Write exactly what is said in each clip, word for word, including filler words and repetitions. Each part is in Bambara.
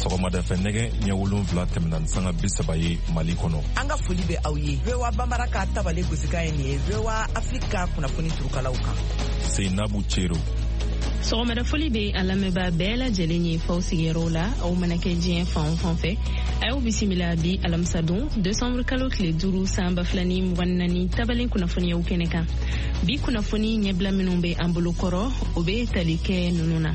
Sɔgɔmada fɛ nɛgɛ ɲɛ wolonwula tɛmɛna ni sanga bi saba ye Mali kɔnɔ. An ka foli bɛ aw ye. V O A Bambara ka tabale gosikan ye nin ye V O A Afrique ka kunnafoni turukalaw kan. Seinabu Cero. Sɔgɔmada foli bɛ a lamɛnbaa bɛɛ lajɛlen ye faw sigiyɔrɔw la, aw mana kɛ diɲɛ fan o fan fɛ. A y'aw bisimila bi alamisadon décembre kalo tile duuru san ba fila ni mugan ni naani tabalen kunnafoniyaw kɛnɛ kan. Bi kunnafoni ɲɛbila minnu bɛ an bolo kɔrɔ, o bɛ tali kɛ ninnu na.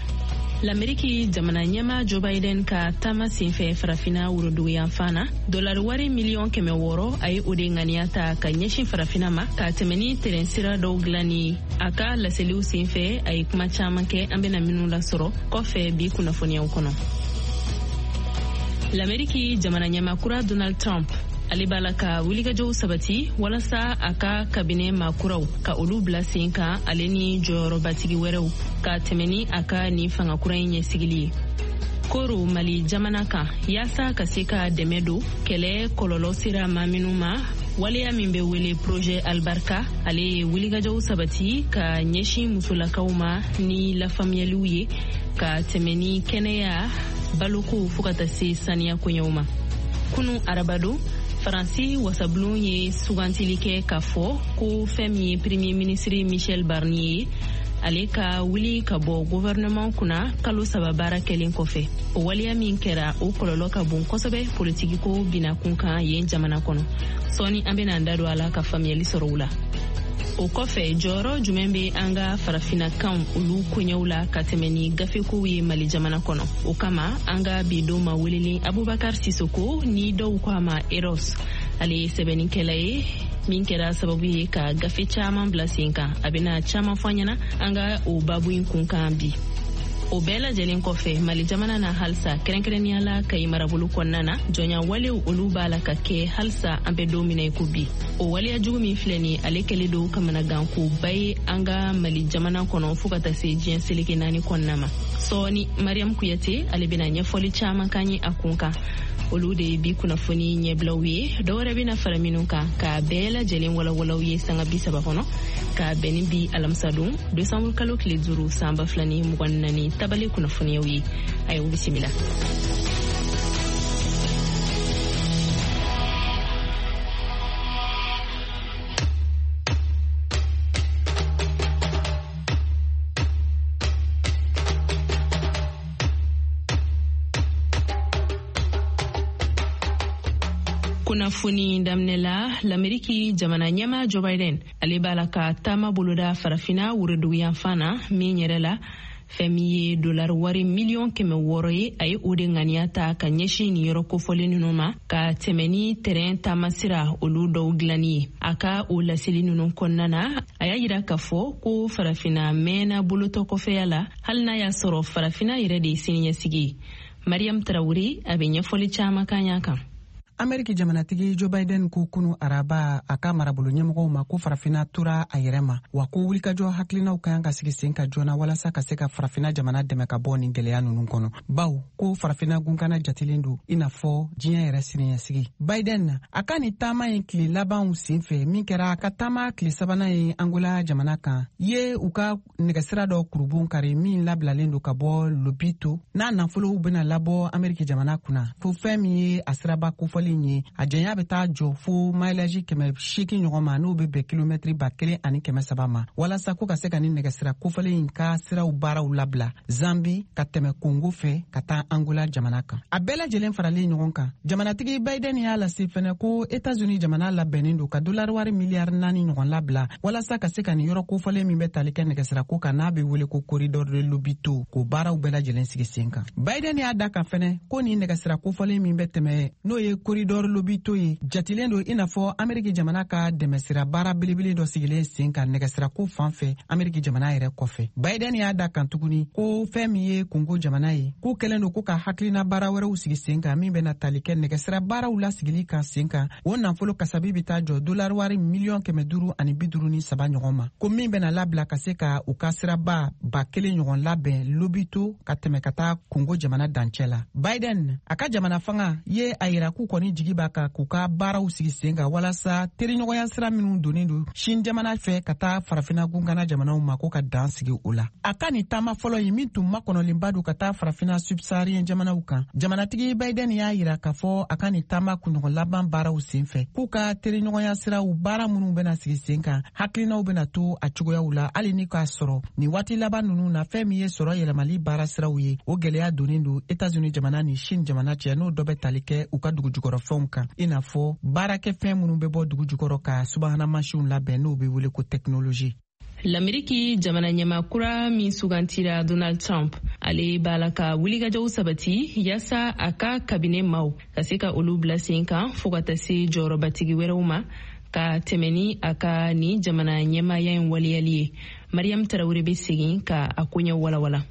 L'Amérique jamana ɲɛmaa Joe Biden ka taama senfɛ farafina woroduguyanfan na, dolari wari miliyɔn kɛmɛ wɔɔrɔ a ye o de ŋaniya ta ka ɲɛsin farafina ma ka tɛmɛ ni tɛrɛn sira dɔw dilanni. A ka laseliw senfɛ a ye kuma caman kɛ an bɛna minnu lasɔrɔ kɔfɛ bi kunnafoniyaw kɔnɔ. L'Amérique jamana ɲɛmaa kura Donald Trump ale b'a la ka wulikajɔw sabati walasa a ka kabinɛ maakuraw ka olu bila sen kan, ale ni jɔyɔrɔbatigi wɛrɛw ka tɛmɛ ni a ka nin fanga kura in ɲɛsigili ye. Koro Mali jamana kan yaasa ka se ka dɛmɛ don kɛlɛ kɔlɔlɔ sera maa minnu ma, waleya min bɛ wele projet Albarka, ale ye wulikajɔw sabati ka ɲɛsin musolakaw ma ni lafaamuyaliw ye ka tɛmɛ ni kɛnɛya, baloko fo ka taa se saniya koɲɛw ma. Kunu arabadon, Faransi wasabulon ye sugantili kɛ k'a fɔ ko fɛn min ye premier ministre Michel Barnier ye, ale ka wuli ka bɔ gouvernement kunna kalo saba baara kɛlen kɔfɛ. O waleya min kɛra, o kɔlɔlɔ ka bon kosɛbɛ politikiko binakun kan yen jamana kɔnɔ. Sɔɔni an bɛna an da don a la ka faamuyali sɔrɔ o la. O kɔfɛ, jɔyɔrɔ jumɛn bɛ an ka farafinakanw olu koɲɛw la ka tɛmɛ ni gafekow ye Mali jamana kɔnɔ? O kama an ka bi don ma welelen Abubakar Sisoko, ni dɔw ko a ma Eros, ale ye sɛbɛnnikɛla ye min kɛra sababu ye ka gafe caman bila sen kan. A bɛna caman fɔ an ɲɛna an ka o babu in kun kan bi. O bɛɛ lajɛlen kɔfɛ, Mali jamana na halisa, kɛrɛnkɛrɛnnenya la Kayi marabolo kɔnɔna na, jɔnya walew olu b'a la ka kɛ halisa an bɛ don min na i ko bi. O waleya jugu min filɛ nin, ale kɛlen don kamanagankoba ye an ka Mali jamana kɔnɔ fo ka taa se diɲɛ seleke naani kɔnɔna ma. Sɔɔni Mariam Kuyate ale bɛna ɲɛfɔli caman k'an ye a kun kan. Olu de ye bi kunnafoni ɲɛbilaw ye. Dɔwɛrɛ bɛna fara minnu kan k'a bɛɛ lajɛlen walawalaw ye sanga bi saba kɔnɔ k'a bɛn ni bi alamisadon décembre kalo tile duuru san ba fila ni mugan ni naani tabale kunnafoniyaw ye. A y'aw bisimila. Kunnafoni daminɛ la, l'Amérique jamana ɲɛmaa Joe Biden ale b'a la ka taama boloda farafina woroduguyanfan na, min yɛrɛ la fɛn min ye dolari wari miliyɔn kɛmɛ wɔɔrɔ ye, a ye o de ŋaniya ta ka ɲɛsin nin yɔrɔ kofɔlen ninnu ma ka tɛmɛ ni tɛrɛn taamasira olu dɔw dilanni ye. A ka o laseli ninnu kɔnɔna na, a y'a yira k'a fɔ ko farafina mɛnna bolotɔ kɔfɛya la, hali n'a y'a sɔrɔ farafina yɛrɛ de ye siniɲɛsigi ye. Mariam Tarawele a bɛ ɲɛfɔli caman kan y'a kan. Ameriki jamanatigi Joe Biden ko kunu araba a ka marabolo ɲɛmɔgɔw ma ko farafina tora a yɛrɛ ma, wa ko wulikajɔ hakilinaw ka kan ka sigi sen ka joona walasa ka se ka farafina jamana dɛmɛ ka bɔ nin gɛlɛya ninnu kɔnɔ, baw ko farafina gunkana jatelen don i n'a fɔ diɲɛ yɛrɛ siniɲɛsigi. Biden a ka nin taama in tile labanw senfɛ, min kɛra a ka taama tile sabanan ye Angola jamana kan, ye u ka nɛgɛsira dɔ kurubon kari min labilalen don ka bɔ Lobito, n'a nafolow bɛna labɔ Ameriki jamana kunna, fo fɛn min ye a siraba kofɔlen ye, a janya bɛ taa jɔ fo mileage kɛmɛ seegin ɲɔgɔn ma, n'o bɛ bɛn kilomɛtiri ba kelen ani kɛmɛ saba ma, walasa ko ka se ka nin nɛgɛsira kofɔlen in ka siraw baaraw labila Zambi ka tɛmɛ Kongo fɛ ka taa Angola jamana kan. A bɛɛ lajɛlen faralen ɲɔgɔn kan, jamanatigi Biden y'a lase fɛnɛ ko États-Unis jamana labɛnnen don ka dolari wari miliyari naani ɲɔgɔn labila walasa ka se ka nin yɔrɔ kofɔlen min bɛ tali kɛ nɛgɛsira ko kan, n'a bɛ wele ko corridor de Lobito, k'o baaraw bɛɛ lajɛlen sigi sen kan. Biden y'a da kan fɛnɛ ko nin nɛgɛsira kofɔlen min bɛ tɛmɛ, n'o ye corridor Lobito ye, jatilen don i n'a fɔ Ameriki jamana ka dɛmɛsira baara belebele dɔ sigilen sen kan nɛgɛsirako fan fɛ Ameriki jamana yɛrɛ kɔfɛ. Biden y'a da kan tuguni ko fɛn min ye Kongo jamana ye, k'u kɛlen don ko ka hakilina baara wɛrɛw sigi sen kan min bɛna tali kɛ nɛgɛsira baaraw lasigili kan sen kan, o nafolo kasabi bɛ taa jɔ dolari wari miliyɔn kɛmɛ duuru ani bi duuru ni saba ɲɔgɔn ma, ko min bɛna labila ka se ka u ka siraba ba kelen ɲɔgɔn labɛn Lobito ka tɛmɛ ka taa Kongo jamana dancɛ la. Biden a ka jamana fanga ye a yira k'u kɔni kɔni jigi b'a kan k'u ka baaraw sigi sen kan walasa teriɲɔgɔnya sira minnu donnen don Chine jamana fɛ ka taa farafina gunkana jamanaw ma, ko ka dan sigi o la. A ka nin taama fɔlɔ ye min tun makɔnɔlenba don ka taa farafina subsaharien jamanaw kan, jamanatigi Biden y'a yira k'a fɔ a ka nin taama kunɲɔgɔn laban baaraw sen fɛ, k'u ka teriɲɔgɔnya siraw baara minnu bɛna sigi sen kan, hakilinaw bɛna to a cogoyaw la, hali ni k'a sɔrɔ nin waati laban ninnu na, fɛn min ye sɔrɔ yɛlɛmali baara siraw ye, o gwɛlɛya donnen don Etats-Unis jamana ni Chine jamana cɛ, n'o dɔ bɛ tali kɛ u ka dugujukɔrɔfɛnw kan, i n'a fɔ baarakɛfɛn minnu bɛ bɔ dugu jukɔrɔ ka subahana mansinw labɛn, n'o bɛ wele ko technologie. Lameriki jamana ɲɛmaa kura min sugantira, Donald Trump, ale b'a la ka wulikajɔw sabati yaasa a ka kabine maw ka se ka olu bila sen kan, fɔɔ ka taa se jɔyɔrɔbatigi wɛrɛw ma, ka tɛmɛ ni a ka nin jamana ɲɛmaaya in waleyali ye. Mariam Tarawele bɛ segin ka a koɲɛ walawala.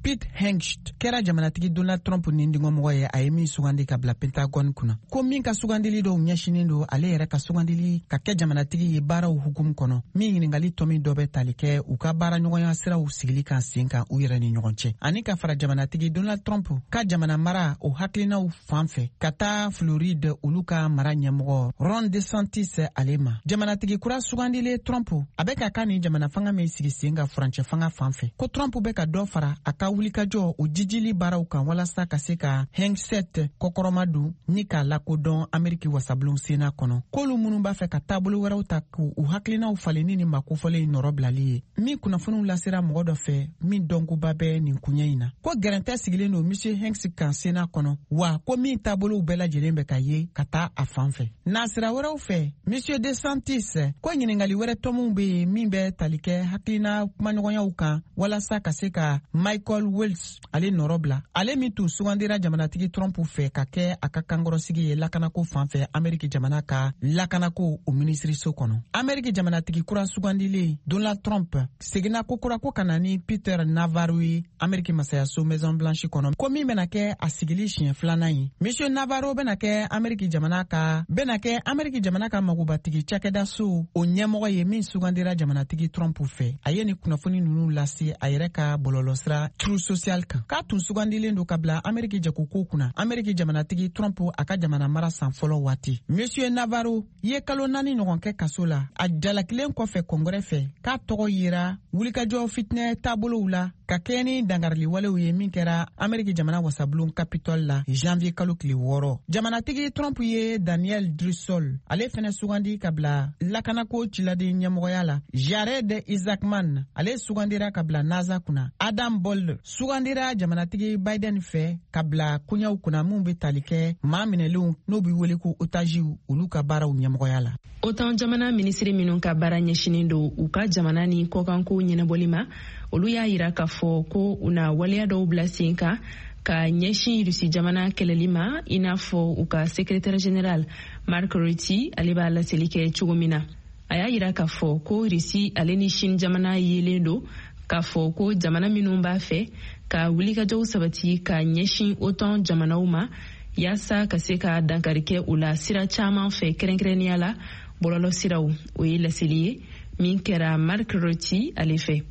Pete Hegseth kɛra jamanatigi Donald Trump nindingɔmɔgɔ ye, a ye min sugandi ka bila Pentagone kunna, ko min ka sugandili dɔw ɲɛsinin don ale yɛrɛ ka sugandili ka kɛ jamanatigi ye baaraw hukumu kɔnɔ, min ɲiningali tɔmi dɔ bɛ tali kɛ u ka baaraɲɔgɔnya siraw sigili kan sen kan u yɛrɛ ni ɲɔgɔn cɛ, ani ka fara jamanatigi Donald Trump ka jamana mara o hakilinaw fan fɛ ka taa Floride, olu ka mara ɲɛmɔgɔ Ron DeSantis ale ma. Jamanatigi kura sugandilen Trump, a bɛ ka ka nin jamana fanga min sigi sen kan furancɛ fanga fan fɛ, ko Trump bɛ ka dɔ fara a ka wulikajɔ o jijili baaraw kan walasa ka se ka Hegseth kɔkɔrɔma don ni k'a lakodɔn Ameriki wasabulon Sena kɔnɔ, k'olu minnu b'a fɛ ka taabolo wɛrɛw ta k'u u hakilinaw falen ni makofɔlen in nɔrɔ bilali ye, min kunnafoniw lasera mɔgɔ dɔ fɛ min dɔnkoba bɛ nin koɲɛ in na, ko gɛrɛntɛ sigilen don Monsieur Hegseth kan Sena kɔnɔ, wa ko min taabolow bɛɛ lajɛlen bɛ ka ye ka taa a fan fɛ. Nasira wɛrɛw fɛ, Monsieur DeSantis ko ɲiningali wɛrɛ tɔmɔw be yen min bɛ tali kɛ hakilina kumaɲɔgɔnyaw kan walasa ka se ka Michael Waltz ale nɔrɔ bila, ale min tun sugandira jamanatigi Trump fɛ ka kɛ a ka kankɔrɔsigi ye lakanako fan fɛ Ameriki jamana ka lakanako o minisiriso kɔnɔ. Ameriki jamanatigi kura sugandilen Donald Trump seginna kokura ko ka na ni Peter Navarro ye Ameriki masayaso Maison Blanche kɔnɔ, ko min bɛna kɛ a sigili siɲɛ filanan ye. Monsieur Navarro bɛna kɛ Ameriki jamana ka bɛna kɛ Ameriki jamana ka magobatigi cakɛdaso o ɲɛmɔgɔ ye min sugandira jamanatigi Trump fɛ. A ye nin kunnafoni ninnu lase a yɛrɛ ka bɔlɔlɔsira Truth Social kan, k'a tun sugandilen don ka bila Ameriki jagoko kunna Ameriki jamanatigi Trump a ka jamana mara san fɔlɔ waati. Monsieur Navarro ye kalo naani ɲɔgɔn kɛ kaso la a jalakilen kɔfɛ Kɔngɛrɛ fɛ, k'a tɔgɔ yera wulikajɔ fitinɛ taabolow la ka kɛɲɛ ni dangariliwalew ye min kɛra Ameriki jamana wasabulon Capitole la janvier kalo tile wɔɔrɔ. Jamanatigi Trump ye Daniel Driscoll ale fɛnɛ sugandi ka bila lakanako ciladen ɲɛmɔgɔya la. Jared Isaacman ale sugandira ka bila NASA kunna. Adam Bold sugandira jamanatigi Biden fɛ ka bila koɲɛw kunna minw be tali kɛ maa minɛlenw, n'o be wele ko otajiw, olu ka baaraw ɲɛmɔgɔya la. OTAN jamana minisiri minnu ka baara ɲɛsinin don u ka jamana ni kɔkanko ɲɛnabɔli ma, olu y'a yira k'a fɔ ko u na waleya dɔw bila sen kan ka ɲɛsin Rusi jamana kɛlɛli ma, i n'a fɔ u ka secrétaire général Mark Rutte ale b'a laseli kɛ cogo min na. A y'a yira k'a fɔ ko Rusi ale ni Chine jamana yelen don k'a fɔ ko jamana minnu b'a fɛ ka wulikajɔw sabati ka ɲɛsin OTAN jamanaw ma, yaasa ka se ka dankari kɛ u la sira caman fɛ, kɛrɛnkɛrɛnnenya la bɔlɔlɔ siraw. O ye laseli ye min kɛra Mark Rutte ale fɛ.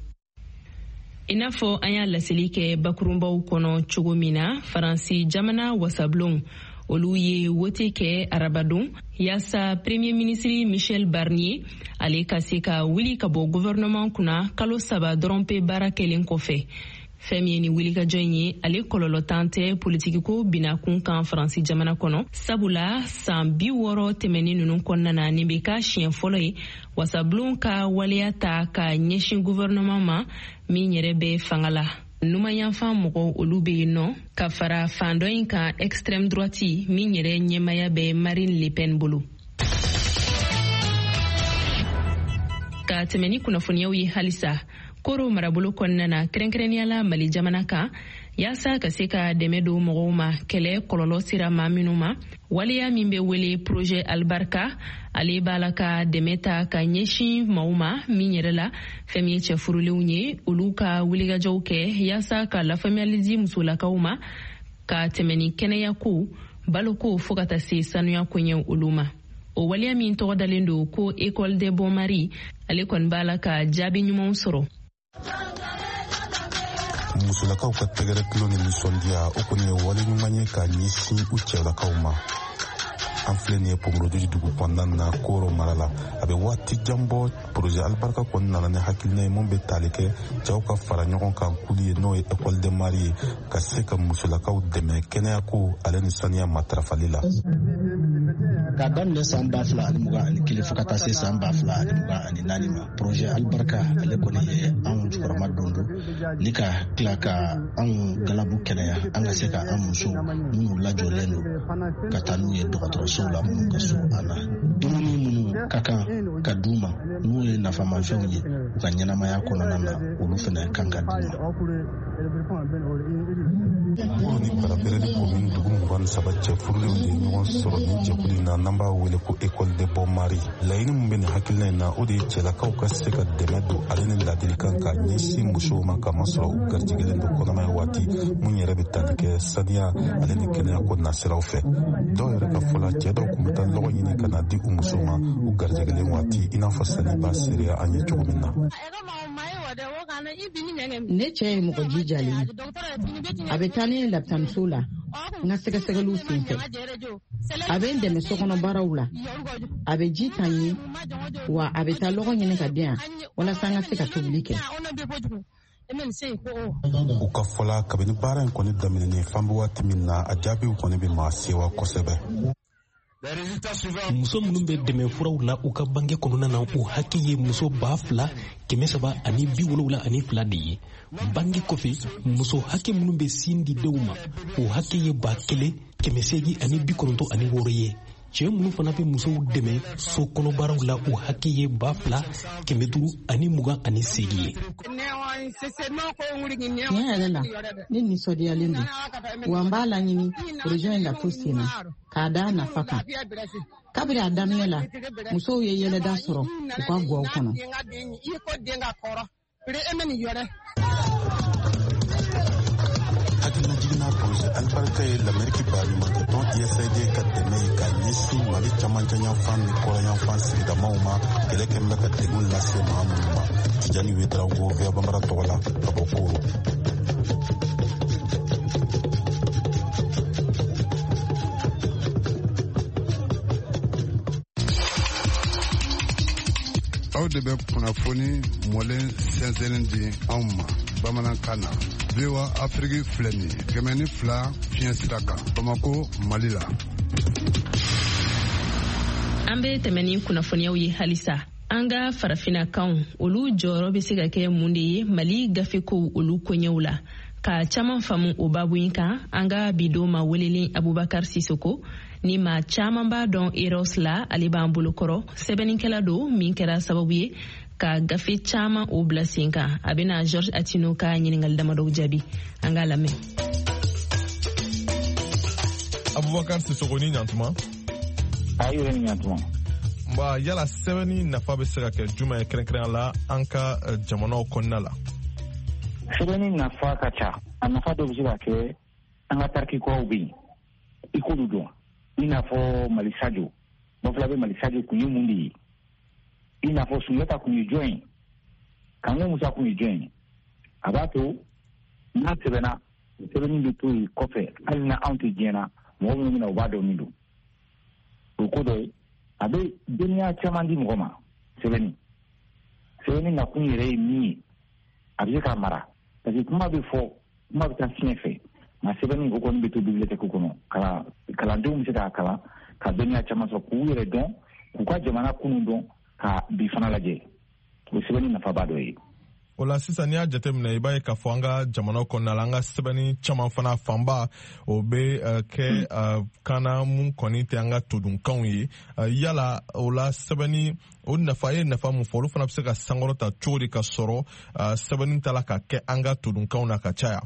I n'a fɔ an y'a laseli kɛ bakurunbaw kɔnɔ cogo min na, Faransi jamana wasabulon olu ye wote kɛ arabadon yaasa Premier ministre Michel Barnier ale ka se ka wuli ka bɔ gouvernement kunna, kalo saba dɔrɔn pe baara kɛlen kɔfɛ. Fɛn min ye ni wulikajɔ in ye, ale kɔlɔlɔtan tɛ politikiko binakun kan Faransi jamana kɔnɔ, sabula san bi wɔɔrɔ tɛmɛnin ninnu kɔnɔna na, nin bɛ ka siɲɛ fɔlɔ ye wasabulon ka waleya ta ka ɲɛsin gouvernement ma min yɛrɛ bɛ fanga la. Numanyanfan mɔgɔw olu bɛ yen nɔ ka fara fan dɔ in kan, extrême droite min yɛrɛ ɲɛmaya bɛ Marine Le Pen bolo. Ka tɛmɛ ni kunnafoniyaw ye halisa Koro marabolo kɔnɔna na, kɛrɛnkɛrɛnnenya la Mali jamana kan, yaasa ka se ka dɛmɛ don mɔgɔw ma kɛlɛ kɔlɔlɔ sera maa minnu ma, waleya min bɛ wele projet Albarka, ale b'a la ka dɛmɛ ta ka ɲɛsin maaw ma min yɛrɛ la fɛn min ye cɛ furulenw ye, olu ka wulikajɔw kɛ yaasa ka lafaamuyali di musolakaw ma ka tɛmɛ ni kɛnɛyako, baloko, fo ka taa se sanuya koɲɛw olu ma. O waleya min tɔgɔ dalen don ko École des Bons Maris, ale kɔni b'a la ka jaabi ɲumanw sɔrɔ. Musolakaw ka tɛgɛrɛ tulo ni nisɔndiya, o kɔni ye wale ɲuman ye ka ɲɛsin u cɛlakaw ma. An filɛ nin ye Pogorodiji dugu kɔnɔna na Koro mara la. A bɛ waati jan bɔ, projet Alibarika kɔni nana ni hakilina ye mun bɛ tali kɛ cɛw ka fara ɲɔgɔn kan kulu ye, n'o ye école de mari ye, ka se ka musolakaw dɛmɛ kɛnɛyako ale ni saniya matarafali la. K'a daminɛ san ba fila ani mugan ani kelen fo ka taa se san ba fila ani mugan ani naani ma, projet Alibarika ale kɔni ye anw jukɔrɔma don don ni ka tila ka anw galabu kɛnɛya, an ka se ka an musow minnu lajɔlen don ka taa n'u ye dɔgɔtɔrɔsow la minnu ka surun an na, dumuni minnu ka kan ka d'u ma n'u ye nafamafɛnw ye u ka ɲɛnamaya kɔnɔna na, olu fana kan ka d'u ma. Koro ni Barapereli commune dugu mugan ni saba cɛ furulenw de ye ɲɔgɔn sɔrɔ nin jɛkulu in na, n'an b'a wele ko école de bon mari. Laɲini min bɛ nin hakilina in na, o de ye cɛlakaw ka se ka dɛmɛ don ale ni ladilikan ka ɲɛsin musow ma, k'a masɔrɔ u garijɛgɛlen don kɔnɔmaya waati mun yɛrɛ bɛ tali kɛ saniya ale ni kɛnɛya ko nasiraw fɛ. Dɔw yɛrɛ ka fɔ la, cɛ dɔw tun bɛ taa lɔgɔ ɲini ka na di u musow ma u garijɛgɛlen waati, i n'a fɔ sani b'a seereya an ye cogo min na. Ne cɛ ye mɔgɔ jijalen ye. A bɛ taa ne lapitaniso la n ka sɛgɛsɛgɛliw senfɛ. A bɛ n dɛmɛ sokɔnɔ baaraw la. A bɛ ji ta n ye, wa a bɛ taa lɔgɔ ɲini ka di yan walasa n ka se ka tobili kɛ. U ka fɔ la, kabini baara in kɔni daminɛnen fan bɛ waati min na, a jaabiw kɔni bɛ maa sewa kosɛbɛ. Muso minnu bɛ dɛmɛ furaw la u ka bange kɔnɔna na, u hakɛ ye muso ba fila kɛmɛ saba ani bi wolowula ani fila de ye. Bange kɔfɛ, muso hakɛ minnu bɛ sin di denw ma, o hakɛ ye ba kelen kɛmɛ seegin ani bi kɔnɔntɔn ani wɔɔrɔ ye. Cɛ minnu fana bɛ musow dɛmɛ so kɔnɔbaaraw la, o hakɛ ye ba fila kɛmɛ duuru ani mugan ani seegin ye. Tiɲɛ yɛrɛ la, ne nisɔndiyalen don, wa n b'a laɲini projet in ka to sen na k'a da nafa kan. Kabiri a daminɛ la, musow ye yɛlɛda sɔrɔ u ka gaw kɔnɔ. Hakilinajiginna projet Alibarika ye Lameriki baɲumankɛtɔn U S A I D ka dɛmɛ ye ka ɲɛsin Mali camancɛ yanfan ni kɔrɔn yanfan sigidamaw ma, kɛlɛ kɛn bɛ ka degun lase maa minnu ma. Tijani Wedraogo, V O A Bambara tɔgɔ la, ka bɔ Koro. Aw de bɛ kunnafoni mɔlen sɛnsɛnnen di anw ma bamanankan na. V O A Afrique filɛ nin ye kɛmɛ ni fila fiɲɛ sira kan Bamako, Mali la. An bɛ tɛmɛ ni kunnafoniyaw ye halisa. An ka farafinnakanw, olu jɔyɔrɔ bɛ se ka kɛ mun de ye Mali gafekow olu koɲɛw la? Ka caman faamu o babu in kan, an ka bi don ma welelen Abubakar Sisoko ni maa caman b'a dɔn Eros la, ale b'an bolokɔrɔ. Sɛbɛnnikɛla don min kɛra sababu ye ka gafe caman o bila sen kan. A bɛna George Atino ka ɲininkali damadɔw jaabi. An k'a lamɛn. Abubakar Sisoko, ni ɲantuma. A yɛrɛ ni ɲantuma. Nba, yala sɛbɛnni nafa bɛ se ka kɛ jumɛn ye kɛrɛnkɛrɛnya la an ka jamanaw kɔnɔna la? Sɛbɛnni nafa ka ca. A nafa dɔ bɛ se ka kɛ an ka tariki kuraw bɛ yen, i k'olu dɔn. I n'a fɔ Mali Sajo, Bafulabe Mali Sajo kun ye mun de ye? I n'a fɔ Sunjata kun ye jɔn ye? Kanko Musa kun ye jɔn ye? A b'a to n'a sɛbɛnna, sɛbɛnni bɛ to yen kɔfɛ, hali na anw tɛ diɲɛ na, mɔgɔ minnu bɛna u b'a dɔn min don. O ko dɔ ye, a bɛ dɔnniya caman di mɔgɔ ma. Sɛbɛnni sɛbɛnni nakun yɛrɛ ye min ye, a bɛ se k'a mara, parce que kuma bɛ fɔ, kuma bɛ taa fiɲɛ fɛ. Nka sɛbɛnni o kɔni bɛ to bibliothèque kɔnɔ, kalan kalandenw bɛ se k'a kalan ka dɔnniya caman sɔrɔ, k'u yɛrɛ dɔn, k'u ka jamana kunun dɔn, ka bi fana lajɛ. O sɛbɛnni nafaba dɔ ye. O la sisan, n'i y'a jateminɛ, i b'a ye k'a fɔ an ka jamana kɔnɔna la, an ka sɛbɛnni caman fana fanba o bɛ kɛ kan na mun kɔni tɛ an ka todunkanw ye. Yala o la sɛbɛnni o nafa ye nafa mun fɔ, olu fana bɛ se ka sankɔrɔta cogo di ka sɔrɔ sɛbɛnni ta la ka kɛ an ka todunkanw na ka caya?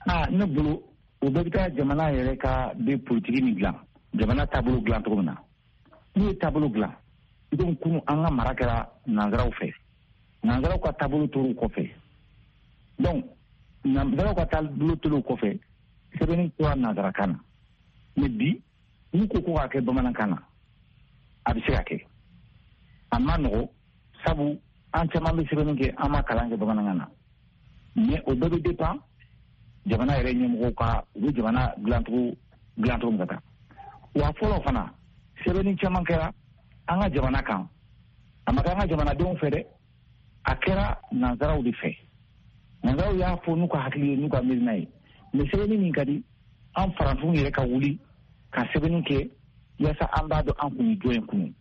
Aa, ne bolo o bɛɛ bɛ taa jamana yɛrɛ ka bɛ politiki min dilan, jamana taabolo dilan cogo min na. N'u ye taabolo dilan, i komi kunun an ka mara kɛra nanzaraw fɛ, nanzaraw ka taabolo tor'u kɔfɛ. Donc nanzaraw ka taabolo tor'u kɔfɛ, sɛbɛnni tora nanzarakan na. Mais bi n'u ko ko k'a kɛ bamanankan na, a bɛ se ka kɛ. A ma nɔgɔ, sabu an caman bɛ sɛbɛnni kɛ, an ma kalan kɛ bamanankan na. Mais o bɛɛ bɛ dépend jamana yɛrɛ ɲɛmɔgɔw ka, u bɛ jamana dilancogo dilancogo min ka taa. Wa fɔlɔ fana sɛbɛnni caman kɛra an ka jamana kan, a ma kɛ an ka jamanadenw fɛ dɛ, a kɛra nansaraw de fɛ. Nansaraw y'a fɔ n'u ka hakili ye, n'u ka miirina ye. Mais sɛbɛnni min ka di an farafinw yɛrɛ ka wuli ka sɛbɛnni kɛ yaasa an b'a dɔn an kun ye jɔn ye kunun,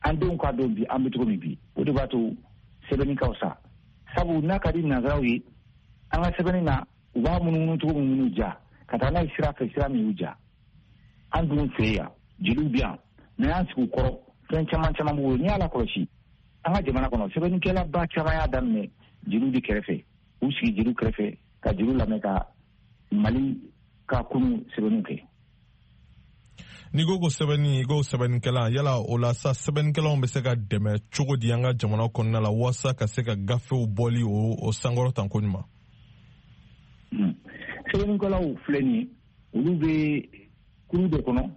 an denw k'a dɔn bi an bɛ cogo min bi. O de b'a to sɛbɛnni ka fisa, sabu n'a ka di nansaraw ye an ka sɛbɛnni na, u b'a munumunu cogo min minnu ja ka taa n'a ye sira fɛ, sira min y'u ja. An dun fɛ yan jeliw bɛ yan, n'an y'an sigi u kɔrɔ fɛn caman caman b'u bolo. N'i y'a lakɔlɔsi an ka jamana kɔnɔ, sɛbɛnnikɛlaba caman y'a daminɛ jeliw de kɛrɛfɛ, u sigi jeliw kɛrɛfɛ ka jeliw lamɛn ka Mali ka kunun sɛbɛnniw kɛ. N'i ko ko sɛbɛnni, i ko sɛbɛnnikɛla, yala o la sa sɛbɛnnikɛlaw bɛ se ka dɛmɛ cogo di an ka jamana kɔnɔna la walasa ka se ka gafew bɔli o o sankɔrɔta ko ɲuman? Sɛbɛnnikɛlaw filɛ nin ye, olu bɛ kuru dɔ kɔnɔ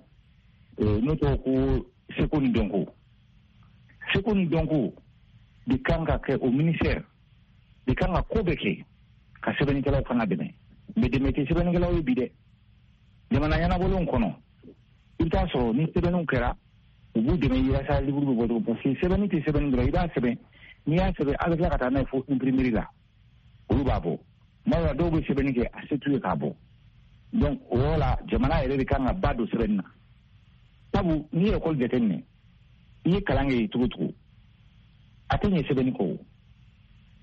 n'o tɔgɔ ko seko ni dɔnko. Seko ni dɔnko de kan ka kɛ, o ministère de kan ka ko bɛɛ kɛ ka sɛbɛnnikɛlaw fana dɛmɛ. Mais dɛmɛ tɛ sɛbɛnnikɛlaw ye bi dɛ. Jamana ɲɛnabɔlenw kɔnɔ, i bɛ taa sɔrɔ ni sɛbɛnniw kɛra, u b'u dɛmɛ yaasa livre bɛ bɔ cogo, parce que sɛbɛnni tɛ sɛbɛnni dɔrɔn, i b'a sɛbɛn, n'i y'a sɛbɛn a bɛ tila ka taa n'a ye fo imprimerie la, olu b'a bɔ. Tuma dɔ la dɔw bɛ sɛbɛnni kɛ, a se t'u ye k'a bɔ. Donc o yɔrɔ la jamana yɛrɛ de kan ka ba don sɛbɛnni na, sabu n'i ye ekɔli jateminɛ, i ye kalan kɛ cogo cogo, a tɛ ɲɛ sɛbɛnni kɔ o.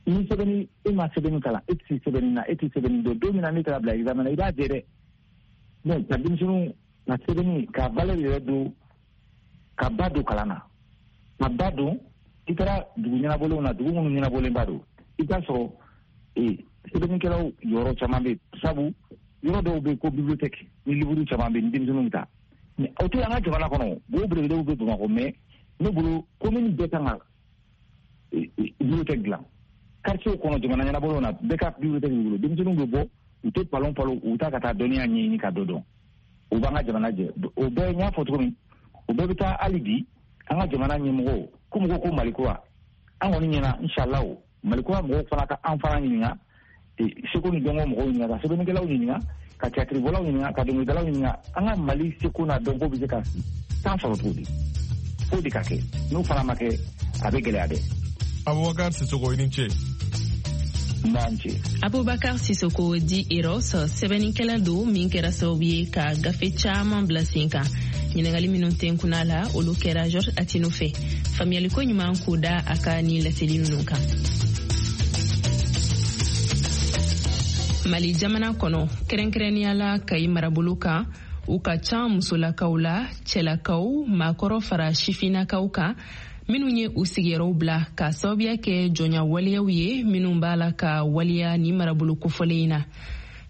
Ni sɛbɛnni, e ma sɛbɛnni kalan, e tɛ se sɛbɛnni na, e tɛ sɛbɛnni dɔn, don min na ne taara bila examen na, i b'a jɛ dɛ. Donc ka denmisɛnninw ka sɛbɛnni ka valeur yɛrɛ don, ka ba don kalan na, ka ba don. I taara dugu ɲɛnabɔlenw na, dugu minnu ɲɛnabɔlenba don, i t'a sɔrɔ ee sɛbɛnnikɛlaw yɔrɔ caman bɛ yen, sabu yɔrɔ dɔw bɛ yen ko bibliothèque ni livre caman bɛ yen ni denmisɛnninw bɛ taa. Mais o tɛ an ka jamana kɔnɔ, wo belebelew bɛ Bamakɔ, mais ne bolo commune bɛɛ kan ka bibliothèque dilan. Quartier kɔnɔ, jamana ɲɛnabɔlenw na, bɛɛ ka bibliothèque b'i bolo, denmisɛnninw bɛ bɔ, u tɛ palon palon, u bɛ taa ka taa dɔnniya ɲɛɲini ka dɔ dɔn. O b'an ka jamana jɛ. O bɛɛ n y'a fɔ cogo min, o bɛɛ bɛ taa hali bi an ka jamana ɲɛmɔgɔw ko mɔgɔw ko Mali kura, an kɔni ɲɛna inshallah Mali kura mɔgɔw fana ka an fana ɲininka, seko ni dɔnko mɔgɔw ɲininka, ka sɛbɛnnikɛlaw ɲininka, ka théâtre-bɔlaw ɲininka, ka dɔnkilidalaw ɲininka, an ka Mali seko n'a dɔnko bɛ se ka san sɔrɔ cogo di? K'o de ka kɛ, n'o fana ma kɛ a bɛ gɛlɛya dɛ. Abubakar Sisoko, i ni ce. Abubakar Sisoko di Eros, sɛbɛnnikɛla don min kɛra sababu ye ka gafe caman bila sen kan. Ɲininkali minnu tɛnkunna la, olu kɛra Georges Attino fɛ. Faamuyaliko ɲuman k'o da a ka nin laseli ninnu kan. Mali jamana kɔnɔ, kɛrɛnkɛrɛnnenya la Kayi marabolo kan, u ka ca musolakaw la, cɛlakaw, maakɔrɔ fara sifinnakaw kan, minnu ye u sigiyɔrɔw bila ka sababuya kɛ jɔnya waleyaw ye minnu b'a la ka waleya ni marabolo kofɔlen in na.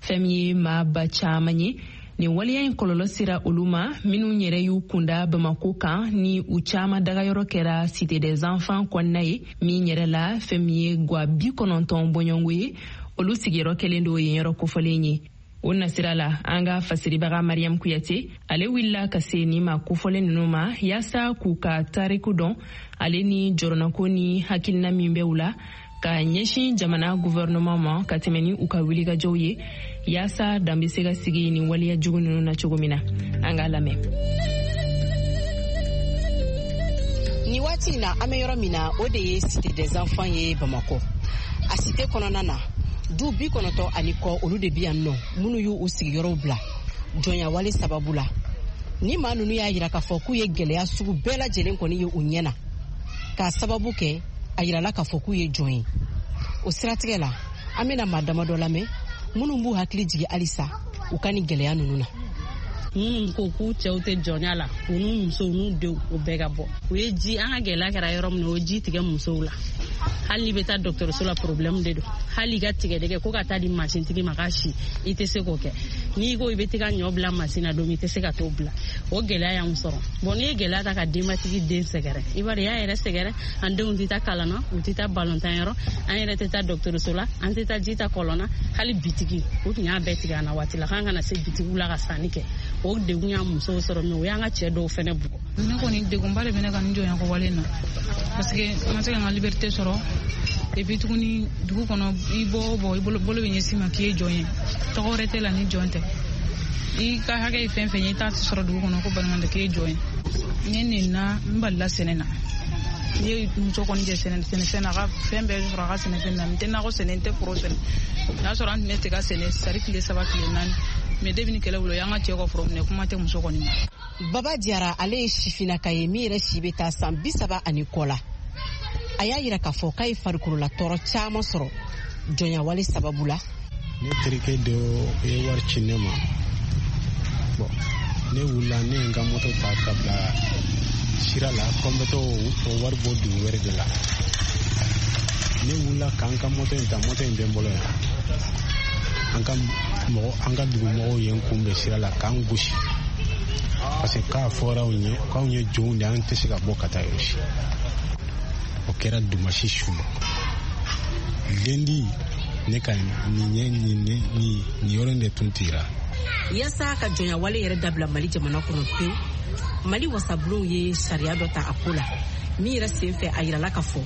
Fɛn min ye maa ba caman ye, nin waleya in kɔlɔlɔ sera olu ma minnu yɛrɛ y'u kunda Bamako kan, ni u caman dagayɔrɔ kɛra Cité des enfants kɔnɔna ye, min yɛrɛ la fɛn min ye gwa bi kɔnɔntɔn bɔɲɔgɔnko ye, olu sigiyɔrɔ kɛlen don yen yɔrɔ kofɔlen ye. O nasira la, an ka fasiribaga Mariam Kuyate, ale wulila ka se nin ma kofɔlen ninnu ma yaasa k'u ka tariku dɔn, ale ni jɔrɔnako ni hakilina min bɛ u la ka ɲɛsin jamana gouvernement ma ka tɛmɛ ni u ka wulikajɔw ye yaasa dan bɛ se ka sigi nin waleya jugu ninnu na cogo min na. An k'a lamɛn. Nin waati in na, an bɛ yɔrɔ min na, o de ye Cité des enfants ye Bamakɔ. A cité kɔnɔna na, du bi kɔnɔntɔn ani kɔ olu de bi yan nɔ, minnu y'u sigiyɔrɔw bila jɔnyawale sababu la. Ni maa ninnu y'a yira k'a fɔ k'u ye gɛlɛya sugu bɛɛ lajɛlen kɔni ye u ɲɛ na, k'a sababu kɛ a yirala k'a fɔ k'u ye jɔn ye. O siratigɛ la, an bɛna maa damadɔ lamɛn minnu b'u hakili jigin halisa u ka nin gɛlɛya ninnu na. Minnu ko k'u cɛw tɛ jɔnya la, u n'u musow n'u denw, o bɛɛ ka bɔ. U ye ji, an ka gɛlɛya kɛra yɔrɔ min na, o ye ji tigɛ musow la. Hali n'i bɛ taa dɔgɔtɔrɔso la, problème de don. Hali i ka tigɛdɛgɛ ko ka taa di masintigi ma k'a si, i tɛ se k'o kɛ. N'i ko i bɛ t'i ka ɲɔ bila masin na don min, i tɛ se ka t'o bila. O gɛlɛya y'anw sɔrɔ. Bon, n'i ye gɛlɛya ta ka denbatigi den sɛgɛrɛ, i b'a dɔn i y'a yɛrɛ sɛgɛrɛ. An denw tɛ taa kalan na, u tɛ taa balontan yɔrɔ, an yɛrɛ tɛ taa dɔgɔtɔrɔso la, an tɛ taa ji ta kɔlɔn na. Hali bitigi, u tun y'a bɛɛ tigɛ an na waati la, k'an kana se bitigiw la ka sanni kɛ. O degun y'an musow sɔrɔ, mais o y'an ka cɛ dɔw fɛnɛ bugɔ. Ne kɔni degunba de bɛ ne ka nin jɔnyako wale in na, parce que n ma se ka n ka liberté sɔrɔ. Et puis tuguni, dugu kɔnɔ, i bɔ o bɔ, i bolo bolo bɛ ɲɛsin ma k'i ye jɔn ye, tɔgɔ wɛrɛ tɛ la ni jɔn tɛ. I ka hakɛ ye fɛn fɛn ye, i t'a sɔrɔ dugu kɔnɔ ko balimamɛ k'e jɔn ye. Ne nina n balila sɛnɛ na. N ye muso kɔni jɛ sɛnɛ sɛnɛfɛn na, a ka fɛn bɛɛ sɔrɔ a ka sɛnɛfɛn na. N tɛ nakɔ sɛnɛ, n tɛ foro sɛnɛ. N'a sɔrɔ an tun bɛ tiga sɛnɛ sari tile saba tile naani. Mais depuis ni kɛlɛ wuli, o y'an ka cɛ ka foro minɛ, kuma tɛ muso kɔni ma. Baba Jara, ale ye sifinnaka ye min yɛrɛ si bɛ taa san bi saba ani kɔ la. A y'a yira k'a fɔ k'a ye farikolola tɔɔrɔ caman sɔrɔ jɔnyawale sababu la. Ne terikɛ dɔ ye wari ci ne ma. Bon, ne wulila, ne ye n ka moto ta ka bila sira la ko n bɛ t'o o wari bɔ dugu wɛrɛ de la. Ne wulila k'an ka moto in ta, moto in bɛ n bolo yan. An ka mɔgɔ, an ka dugumɔgɔw ye n kunbɛn sira la k'an gosi. Parce que k'a fɔra anw ye k'anw ye jɔnw de, an tɛ se ka bɔ ka taa yɔrɔ si. O kɛra dimanche su. Lundi, ne ka nin ɲɛ nin nin nin yɔrɔ in de tun tigɛra. Yaasa ka jɔnyawale yɛrɛ dabila Mali jamana kɔnɔ pewu, Mali wasabulonw ye sariya dɔ ta a ko la min yɛrɛ sen fɛ, a yirala k'a fɔ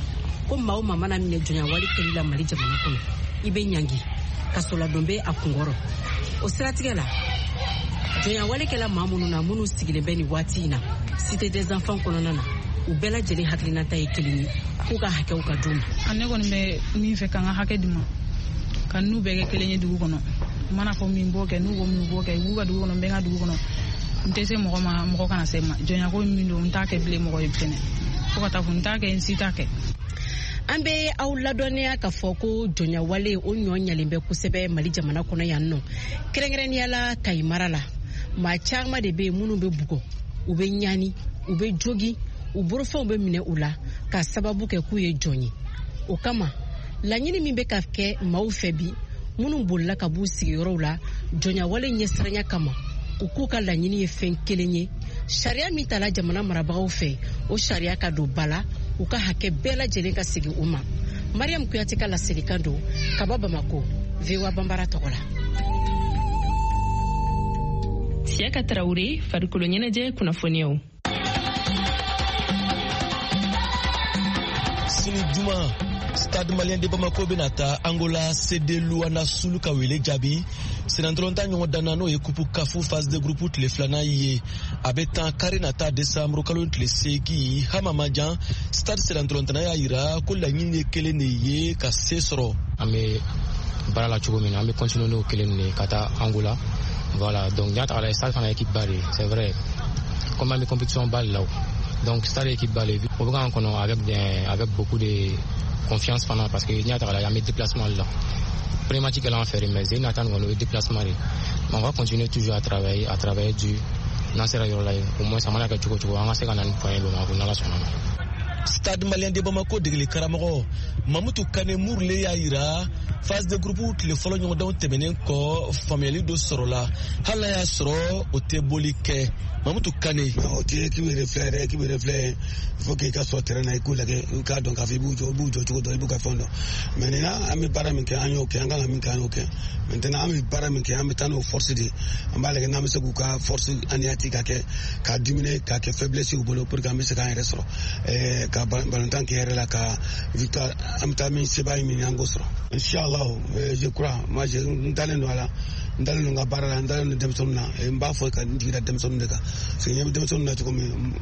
ko maa o maa mana minɛ jɔnyawale kɛli la Mali jamana kɔnɔ, i bɛ ɲangi, kasoladon bɛ a kunkɔrɔ. O siratigɛ la, jɔnyawale kɛla maa minnu na, minnu sigilen bɛ nin waati in na Cité des enfants kɔnɔna na, u bɛɛ lajɛlen hakilinata ye kelen ye, k'u ka hakɛw ka d'u ma. Ne kɔni bɛ min fɛ, k'an ka hakɛ di ma, ka n'u bɛɛ kɛ kelen ye dugu kɔnɔ. N mana fɔ min b'o kɛ, n'u ko min b'o kɛ, u b'u ka dugu kɔnɔ, n bɛ n ka dugu kɔnɔ. N tɛ se mɔgɔ ma, mɔgɔ kana se n ma. Jɔnyako min don, n t'a kɛ bilen mɔgɔ ye fɛnɛ. Fo ka taa fɔ n t'a kɛ, n si t'a kɛ. An bɛ aw ladɔnniya k'a fɔ ko jɔnyawale o ɲɔ ɲalen bɛ kosɛbɛ Mali jamana kɔnɔ yan nɔ, kɛrɛnkɛrɛnnenya la Kayi mara la. Maa caman de bɛ yen minnu bɛ bugɔ, u bɛ ɲani, u bɛ jogi, u bolofɛnw bɛ minɛ u la k'a sababu kɛ k'u ye jɔn ye. O kama, laɲini min bɛ ka kɛ maaw fɛ bi, minnu bolila ka b'u sigiyɔrɔw la jɔnyawale ɲɛsiranya kama, u k'u ka laɲini ye fɛn kelen ye: sariya min tala jamana marabagaw fɛ, o sariya ka don ba la, u ka hakɛ bɛɛ lajɛlen ka segin u ma. Mariam Kuyate ka laselikan don ka bɔ Bamako, V O A Banbara tɔgɔ la. Siaka Traoré, farikolo ɲɛnajɛ kunnafoniyaw. Sini juma, Stade Malien de Bamako bɛna taa Angola C D Luanda Sul ka wele jaabi senatɔlɔntan ɲɔgɔn danna, n'o ye kupu kafu phase de groupe tile filanan ye. A bɛ tan kari nata décembre kalo tile seegin. Hama Majan, Stade senatɔlɔntanna y'a yira ko laɲini ye kelen de ye, ka se sɔrɔ. An bɛ baara la cogo min na, an bɛ continuer n'o kelen de ye ka taa Angola. Voilà, donc n y'a ta k'a lajɛ, Stade fana équipe ba de ye, c'est vrai, comme an bɛ compétition ba de la o. Donc Stade équipe ba de ye, o bɛ k'an kɔnɔ avec avec beaucoup de confiance fana, parce que n'i y'a ta k'a lajɛ, an bɛ déplacement de la. Premier match kɛla an fɛ de, mais Zen nata nin kɔni, o ye déplacement de ye. Mais on va continuer toujours à travailler, à travailler dur. N'an sera yɔrɔ la yen, au moins a mana kɛ cogo o cogo, an ka se ka na ni point ye Bamakɔ, n'Ala sɔnna ma. Stade Malien de Bamako degeli karamɔgɔ Mamutu Kane Murule y'a yira phase de groupe tile fɔlɔ ɲɔgɔndanw tɛmɛnen kɔ, faamuyali dɔ sɔrɔla, hali n'a y'a sɔrɔ o tɛ boli kɛ. Mamutu Kane: o tɛ équipe yɛrɛ filɛ yɛrɛ, équipe yɛrɛ filɛ, il faut que i ka sɔrɔ terrain na, i k'u lajɛ, i k'a dɔn k'a fɔ i b'u jɔ, i b'u jɔ cogo dɔn, i b'u ka fɛn dɔn. Maintenant an bɛ baara min kɛ, an y'o kɛ, an kan ka min kɛ, an y'o kɛ. Maintenant an bɛ baara min kɛ, an bɛ taa n'o force de ye. An b'a lajɛ n'an bɛ se k'u ka force anéantir, ka kɛ k'a diminuer, k'a kɛ faiblesse u bolo, pour que an bɛ se k'an yɛrɛ sɔrɔ, ɛɛ ka balontan kɛ yɛrɛ la, ka victoire, an bɛ taa min sebaaya min, an k'o sɔrɔ. Inchallah, je crois, moi je n dalen don a la, n dalen don n ka baara la, n dalen don denmisɛnninw na. N b'a fɔ ka n jigi da denmisɛnninw de kan, parce que ɲɛ bɛ denmisɛnninw na cogo min,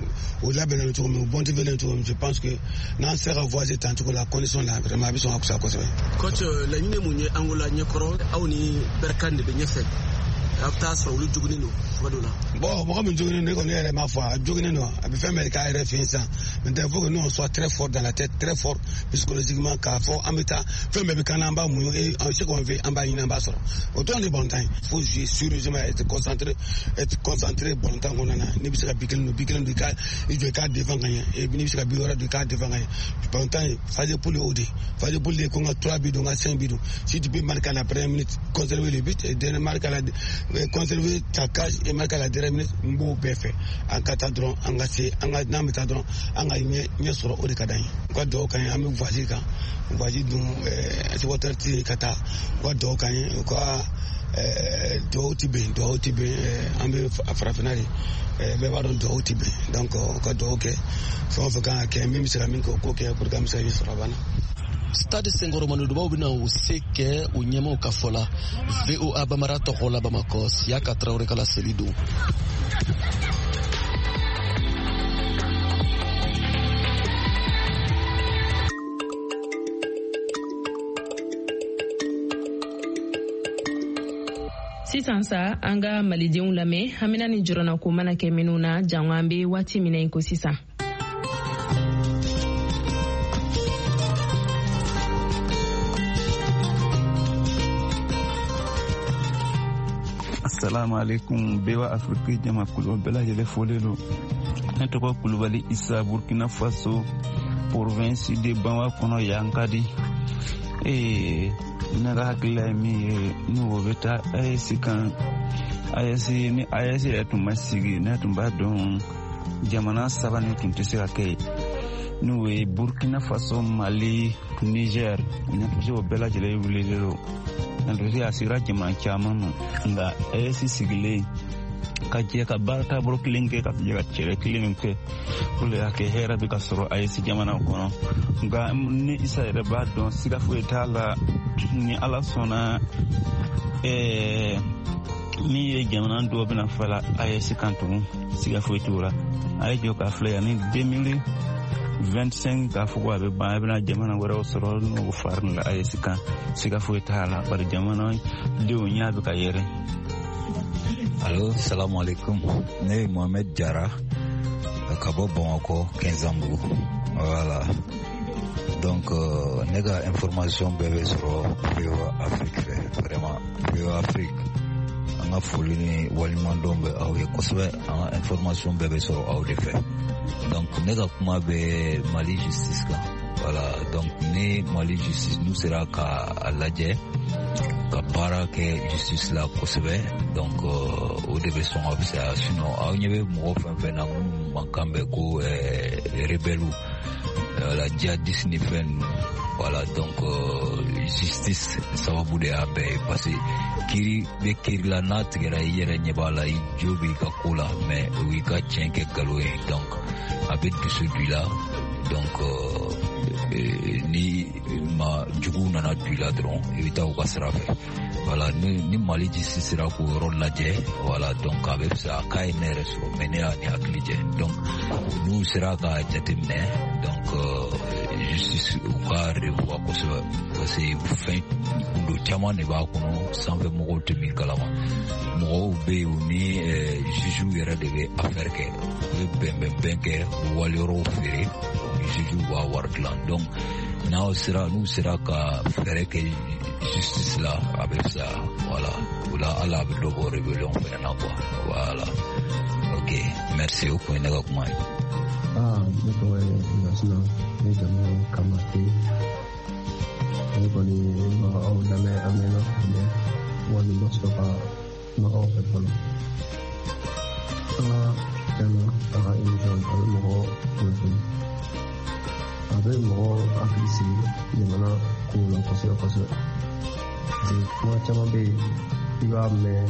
u labɛnnen don cogo min, u motivélen cogo min, je pense que n'an sera ka voyager tan cogo la, condition la, vraiment a bɛ sɔn ka fisaya kosɛbɛ. Coach, laɲini mun ye Angola ɲɛkɔrɔ? Aw ni Berkane de bɛ ɲɛfɛ, a bɛ taa sɔrɔ olu joginnen don cogo dɔ la. Bon, mɔgɔ min joginnen don, ne kɔni yɛrɛ m'a fɔ a joginnen don, a bɛ fɛn bɛɛ k'a yɛrɛ fɛ yen sisan. Maintenant il faut que nous on soit très fort dans la tête, très fort psychologiquement, k'a fɔ an bɛ taa fɛn bɛɛ bɛ k'an na, an b'a muɲu, et ce qu'on veut, an b'a ɲini, an b'a sɔrɔ. O dɔrɔn de balontan ye. Il faut jouer sérieusement, être concentré, être concentré balontan kɔnɔna na. N'i bɛ se ka bi kelen don, bi kelen don, i ka i jɔ i k'a défend ka ɲɛ, et n'i bɛ se ka bi wɛrɛ don, i k'a défend ka ɲɛ. Balontan ye phase de poule, o de phase de poule de ko n ka trois buts don, n ka cinq buts don. Si tu peux marquer à la première minute, conserver le but, et dernier marquer à la conserver ta cage et marquer à la dernière minute, n b'o bɛɛ fɛ. An ka taa dɔrɔn, an ka se, an ka n'an bɛ taa dɔrɔn, an ka ɲɛ ɲɛ sɔrɔ, o de ka d'an ye. U ka dugawu k'an ye, an bɛ voyage kan, voyage dun supporter tɛ ka taa, u ka dugawu k'an ye, u ka dugawu ti bɛn, dugawu ti bɛn, an bɛ farafinna de, bɛɛ b'a dɔn dugawu ti bɛn, donc u ka dugawu kɛ, fɛn o fɛn kan ka kɛ, min bɛ se ka min kɛ, o k'o kɛ pour que an bɛ se ka ɲɛ sɔrɔ a banna. Stade senkɔrɔmadonbaw bɛna u se kɛ u ɲɛmaaw ka fɔ la. V O A Bamara tɔgɔ la Bamakɔ, Siyaka Tarawele ka laseli don. Sisan sa an ka malidenw lamɛn hamina ni jɔrɔnako mana kɛ minnu na jango an bɛ waati min na i ko sisan. Assalamu alaikum V O A Afrique jamakulu bɛɛ lajɛlen fɔlen don. Ne tɔgɔ Kulubali Isa, Burkina Faso, province de Banwa kɔnɔ Yankadi. Ee ne ka hakilila ye min ye, ni o bɛ taa A E S kan, A E S ni A E S yɛrɛ tun ma sigi, ne tun b'a dɔn jamana saba nin tun tɛ se ka kɛ yen, n'o ye Burkina Faso, Mali, Niger. Ne tun bɛ se o bɛɛ lajɛlen wulilen don. Ne tun bɛ se a sigira jamana caman ma, nka A E S sigilen ka jɛ ka baara taabolo kelen kɛ, ka jɛ ka cɛrɛ kelen kɛ, o de y'a kɛ hɛrɛ bɛ ka sɔrɔ A E S jamana kɔnɔ. Nka ni Isa yɛrɛ b'a dɔn siga foyi t'a la, ni Ala sɔnna ɛɛ min ye jamana dɔw bɛna fala A E S kan tugun, siga foyi t'o la. A ye jɔ k'a filɛ yanni deux mille vingt-cinq k'a fɔ ko a bɛ ban, a bɛna jamana wɛrɛw sɔrɔ n'o farin la A E S kan, siga foyi t'a la, bari jamana denw ɲɛ bɛ ka yɛrɛ. Allo, salam alaikum. Ne ye Mohamed Jara ka bɔ Bamakɔ Kɛnzanbugu. Voilà. Donc euh, ne ka information bɛɛ bɛ sɔrɔ V O A Afrique fɛ. Vraiment V O A Afrique, an ka foli ni waleɲumandɔn bɛ aw ye kosɛbɛ. An ka information bɛɛ bɛ sɔrɔ aw de fɛ. Donc ne ka kuma bɛ Mali justice kan. Voilà, donc ni Mali justice n'u sera ka a lajɛ ka baara kɛ justice la kosɛbɛ, donc o de bɛ sɔn ka fisaya. Sinon aw ɲɛ bɛ mɔgɔ fɛn fɛn na minnu mankan bɛ ko rebelle, voilà, djihadiste ni fɛn ninnu, voilà, donc justice sababu de y'a bɛɛ ye, parce que kiiri bɛ kiiri la, n'a tigɛra i yɛrɛ ɲɛ b'a la, i jo b'i ka ko la, mais o y'i ka tiɲɛ kɛ nkalon ye, donc a bɛ dusu don i la. Donc ni ma juguw nana don i la dɔrɔn, i bɛ taa u ka sira fɛ. Voilà, ni ni Mali justice sera k'o yɔrɔ lajɛ, voilà, donc a bɛ fisaya. K'a ye ne yɛrɛ sɔrɔ, mais ne y'a ni hakili jɛ. Donc n'u sera ka jateminɛ, donc justice u ka revoir kosɛbɛ, parce que fɛn gundo caman de b'a kɔnɔ, sanfɛ mɔgɔw tɛ min kalama. Mɔgɔw bɛ yen, u ni juges yɛrɛ de bɛ affaire kɛ, u bɛ bɛnbɛnbɛn kɛ, u waliyɔrɔw feere, juges b'a wari dilan. Donc n'aw sera n'u sera ka fɛɛrɛ kɛ justice la, a bɛ fisaya. Voilà, o la hali a bɛ dɔ bɔ rébellion fɛnɛ na quoi. Voilà, ok, merci, o kun ye ne ka kuma ye. Ah, ne tɔgɔ ye Lasina, ne jamu ye Kamate. Ne kɔni ma aw lamɛn a mɛnna, mais wali ma sɔrɔ ka kuma aw fɛ fɔlɔ. Aa, tiɲɛna a ka émission a bɛ mɔgɔ kunnafoni, a bɛ mɔgɔ hakili sigi jamana kow la kosɛbɛ kosɛbɛ. Parce que kuma caman bɛ yen, i b'a mɛn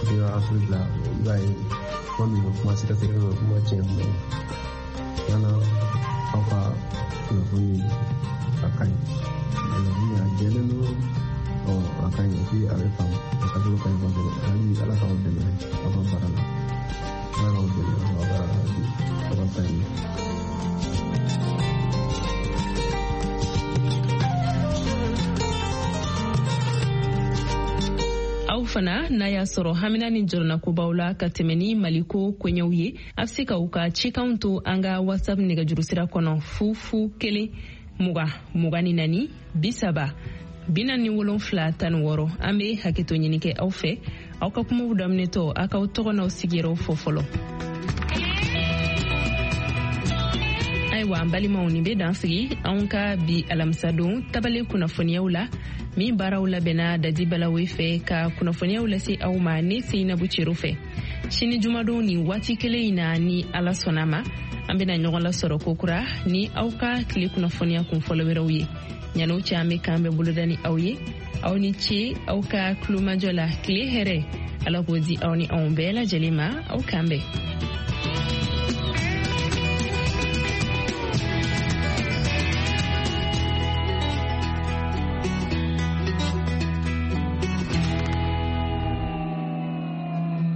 V O A Afrique la, i b'a ye kuma min bɛ kuma sɛgɛsɛgɛli bɛ kuma tiɲɛ kuma ye. Tiɲɛna aw ka kunnafoni a ka ɲi, kunnafoni a jɛlen don, ɔ a ka ɲi, et puis a bɛ faamu, a taabolo ka ɲi kosɛbɛ. Hali Ala k'aw dɛmɛ aw ka baara la, Ala k'aw dɛmɛ aw ka baara la, aw ka taa ɲɛ. Aw fana n'a y'a sɔrɔ hamina ni jɔrɔnakobaw la ka tɛmɛ ni Maliko koɲɛw ye, a bɛ se ka u ka cikanw to an ka WhatsApp nɛgɛjurusira kɔnɔ fu fu kelen mugan mugan ni naani bi saba bi naani ni wolonfila tan ni wɔɔrɔ. An bɛ hakɛto ɲini kɛ aw fɛ, aw ka kumaw daminɛtɔ aw k'aw tɔgɔ n'aw sigiyɔrɔw fɔ fɔlɔ. Ayiwa an balimaw, nin bɛ dan sigi anw ka bi alamisadon tabale kunnafoniyaw la, min baaraw labɛnna Dadi Balawe fɛ ka kunnafoniyaw lase aw ma ne Seyinabu Cero fɛ. Sini jumadon nin waati kelen in na, ni Ala sɔnna ma, an bɛna ɲɔgɔn lasɔrɔ kokura ni aw ka tile kunnafoniya kun fɔlɔ wɛrɛw ye. Ɲan'o cɛ, an bɛ k'an bɛɛ boloda ni aw ye. Aw ni ce aw ka tulomajɔ la. Tile hɛrɛ, Ala k'o di aw ni anw bɛɛ lajɛlen ma. Aw k'an bɛn.